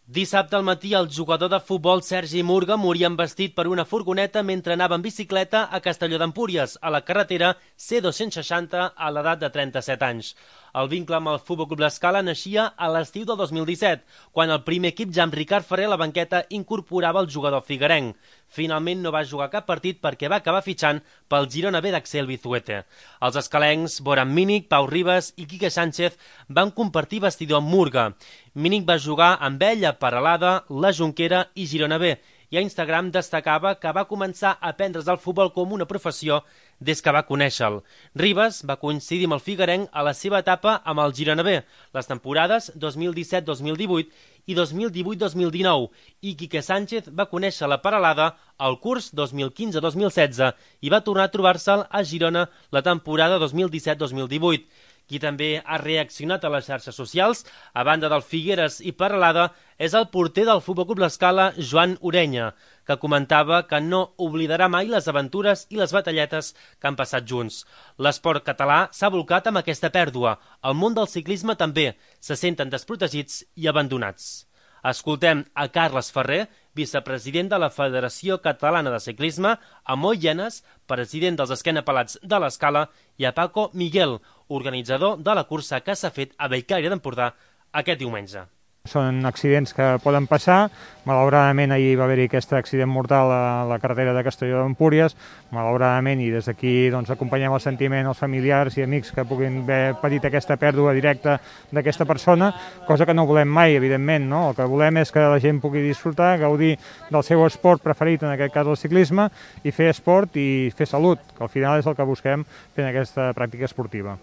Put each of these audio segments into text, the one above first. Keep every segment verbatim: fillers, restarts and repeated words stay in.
Dissabte al matí, el jugador de futbol Sergi Murga moria embestit per una furgoneta mentre anava en bicicleta a Castelló d'Empúries, a la carretera C dos-cents seixanta, a l'edat de trenta-set anys. El vincle amb el Futbol Club L'Escala naixia a l'estiu del dos mil disset, quan el primer equip, ja amb Ricard Ferrer a la banqueta, incorporava el jugador figuerenc. Finalment no va jugar cap partit perquè va acabar fitxant pel Girona B d'Axel Vizuete. Els escalencs, Boran Mínic, Pau Ribas i Quique Sánchez van compartir vestidor amb Murga. Mínic va jugar amb ell a Peralada, la Jonquera i Girona B, i a Instagram destacava que va començar a aprendre's el futbol com una professió des que va conèixer-lo. Ribas va coincidir amb el figuerenc a la seva etapa amb el Girona B, les temporades dos mil disset dos mil divuit i dos mil divuit dos mil dinou, i Quique Sánchez va conèixer la Peralada al curs dos mil quinze dos mil setze i va tornar a trobar-se'l a Girona la temporada dos mil disset dos mil divuit. Qui també ha reaccionat a les xarxes socials, a banda del Figueres i Peralada, és el porter del Futbol Club L'Escala, Joan Orenya, que comentava que no oblidarà mai les aventures i les batalletes que han passat junts. L'esport català s'ha volcat amb aquesta pèrdua. El món del ciclisme també se senten desprotegits i abandonats. Escoltem a Carles Ferrer, vicepresident de la Federació Catalana de Ciclisme, a Moi Llenes, president dels esquenapelats de l'Escala, i a Paco Miguel, organitzador de la cursa que s'ha fet a Bellcaire d'Empordà aquest diumenge. Són accidents que poden passar. Malauradament ahir va haver-hi aquest accident mortal a la carretera de Castelló d'Empúries. Malauradament, i des d'aquí doncs, acompanyem el sentiment als familiars i amics que puguin haver patit aquesta pèrdua directa d'aquesta persona, cosa que no volem mai, evidentment, no? El que volem és que la gent pugui disfrutar, gaudir del seu esport preferit, en aquest cas el ciclisme, i fer esport i fer salut, que al final és el que busquem fent aquesta pràctica esportiva.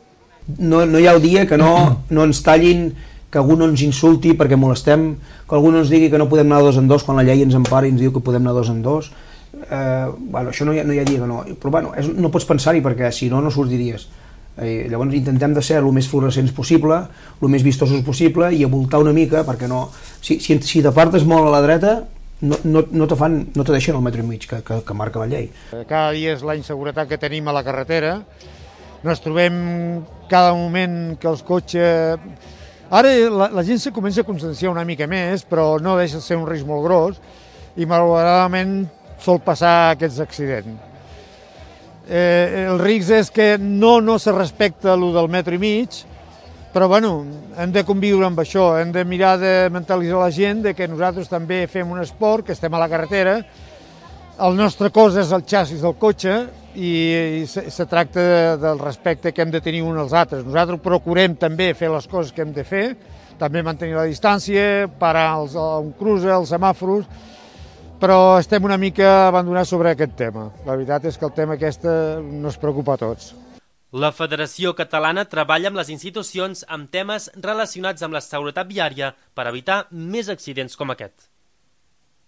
No, no hi ha el dia que no, no ens tallin, que algú no ens insulti perquè molestem, que algú no ens digui que no podem anar dos en dos quan la llei ens empara i ens diu que podem anar dos en dos. Eh, bueno, això no hi, ha, no hi ha dia que no, però bueno, és, no pots pensar-hi perquè si no, no sortiries. Eh, llavors intentem de ser el més fluorescents possible, el més vistosos possible i avoltar una mica perquè no... Si, si, si t'apartes molt a la dreta, no, no, no, te fan, no te deixen el metro i mig que, que, que marca la llei. Cada dia és la inseguretat que tenim a la carretera. Ens trobem cada moment que els cotxes... Ara la, la gent se comença a conscienciar una mica més, però no deixa de ser un risc molt gros i malauradament sol passar aquests accidents. Eh, el risc és que no, no se respecta el del metro i mig, però bueno, hem de conviure amb això, hem de mirar de mentalitzar la gent de que nosaltres també fem un esport, que estem a la carretera, el nostre cos és el xassis del cotxe i, i se, se tracta de, del respecte que hem de tenir uns als altres. Nosaltres procurem també fer les coses que hem de fer, també mantenir la distància, parar els, un cruce, els semàforos, però estem una mica abandonats sobre aquest tema. La veritat és que el tema aquest nos preocupa a tots. La Federació Catalana treballa amb les institucions amb temes relacionats amb la seguretat viària per evitar més accidents com aquest.